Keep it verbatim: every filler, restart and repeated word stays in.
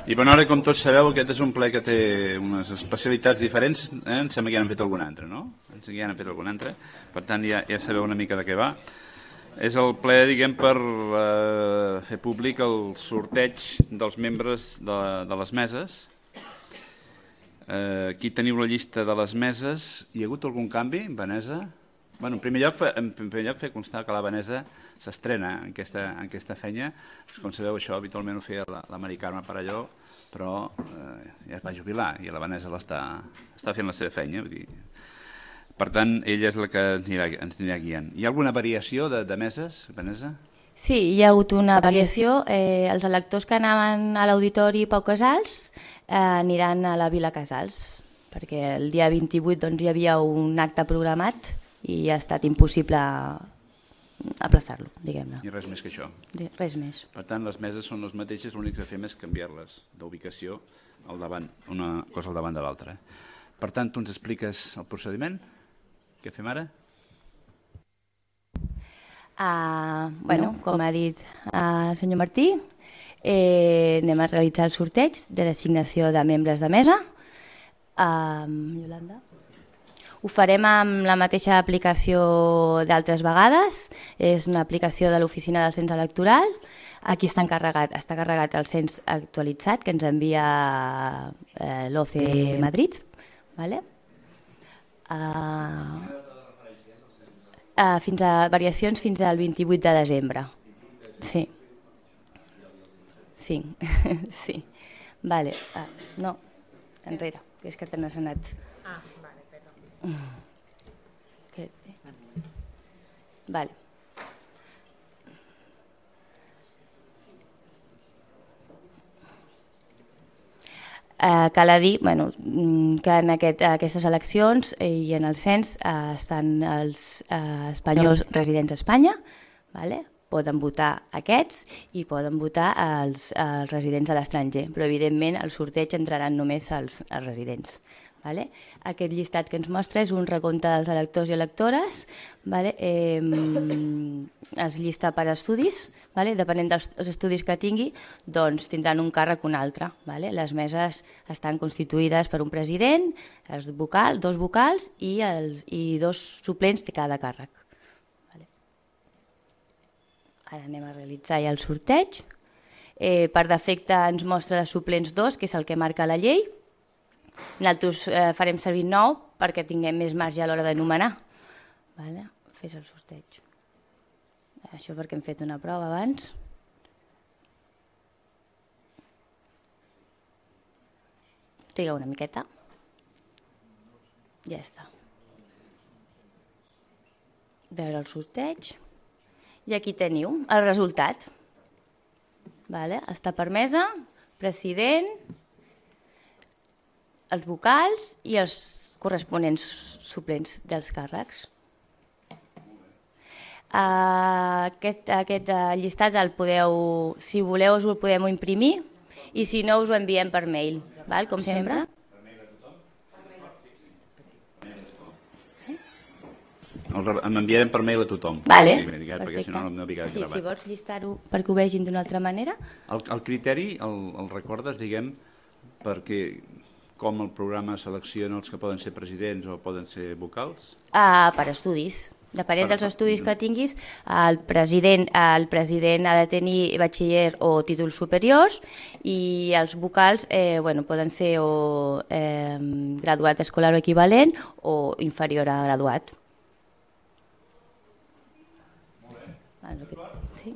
I bona hora, com tots sabeu, aquest és un ple que té unes especialitats diferents, eh? Em sembla que ja n'han fet algun altre, no? Em sembla que ja n'han fet algun altre, per tant ja, ja sabeu una mica de què va. És el ple, diguem, per eh, fer públic el sorteig dels membres de, de les meses. Eh, aquí teniu la llista de les meses. Hi ha hagut algun canvi, Vanessa? Bueno, en primer lloc, en primer lloc fer constar que la Vanessa s'estrena en aquesta, en aquesta feina. Com sabeu, això habitualment ho feia la, la Mari Carme Parelló, però eh, ja es va jubilar i la Vanessa l'està està fent la seva feina. Vull dir. Per tant, ella és la que ens anirà, ens anirà guiant. Hi ha alguna variació de, de meses, Vanessa? Sí, hi ha hagut una variació. Eh, els electors que anaven a l'Auditori Pau Casals eh, aniran a la Vila Casals, perquè el dia vint-i-vuit doncs, hi havia un acte programat i ha estat impossible aplaçar-lo, diguem-ne. I res més que això. Res més. Per tant, les meses són les mateixes, l'únic que fem és canviar-les d'ubicació al davant, una cosa al davant de l'altra. Per tant, tu ens expliques el procediment? Què fem ara? Uh, bueno, com ha dit el uh, senyor Martí, eh, anem a realitzar el sorteig de l'assignació de membres de mesa. Uh, Iolanda? Ho farem amb la mateixa aplicació d'altres vegades, és una aplicació de l'Oficina del Cens Electoral. Aquí està carregat, està carregat el cens actualitzat que ens envia eh, l'O C E Madrid. Vale? Uh, uh, fins a variacions fins al vint-i-vuit de desembre. Sí. Sí. Sí. Vale. Uh, no, enrere, que és que te n'has anat. Ah, vale, perdó. Vale. Eh, cal dir bueno, que en aquest, aquestes eleccions i en el cens eh, estan els eh, espanyols residents a Espanya, vale? Poden votar aquests i poden votar els, els residents a l'estranger, però evidentment al sorteig entraran només els, els residents. Vale? Aquest llistat que ens mostra és un recompte dels electors i electores, vale? eh, es llista per estudis, vale? Depenent dels estudis que tingui, doncs tindran un càrrec o un altre. Vale? Les meses estan constituïdes per un president, els vocal, dos vocals i, els, i dos suplents de cada càrrec. Vale? Ara anem a realitzar ja el sorteig. Eh, per defecte ens mostra de suplents dos, que és el que marca la llei. Nosaltres eh, farem servir nou perquè tinguem més marge a l'hora de nomenar. Vale? Fes el sorteig. Això perquè hem fet una prova abans. Triga una miqueta. Ja està. Veure el sorteig. I aquí teniu el resultat. Vale? Està permesa, president, els vocals i els corresponents suplents dels càrrecs. Uh, aquest, aquest uh, llistat el podeu, si voleu us el podem imprimir i si no us ho enviem per mail, val? Com sempre. M'enviarem per mail a tothom. Vale, sí, perquè si no, no havia sí, si vols llistar-ho perquè ho vegin d'una altra manera. El, el criteri el, el recordes, diguem, perquè com el programa selecciona els que poden ser presidents o poden ser vocals? Uh, per estudis. Depenent per, dels estudis que tinguis, el president, el president ha de tenir batxiller o títols superiors i els vocals eh, bueno, poden ser o eh, graduat escolar o equivalent o inferior a graduat. Molt bé. Sí.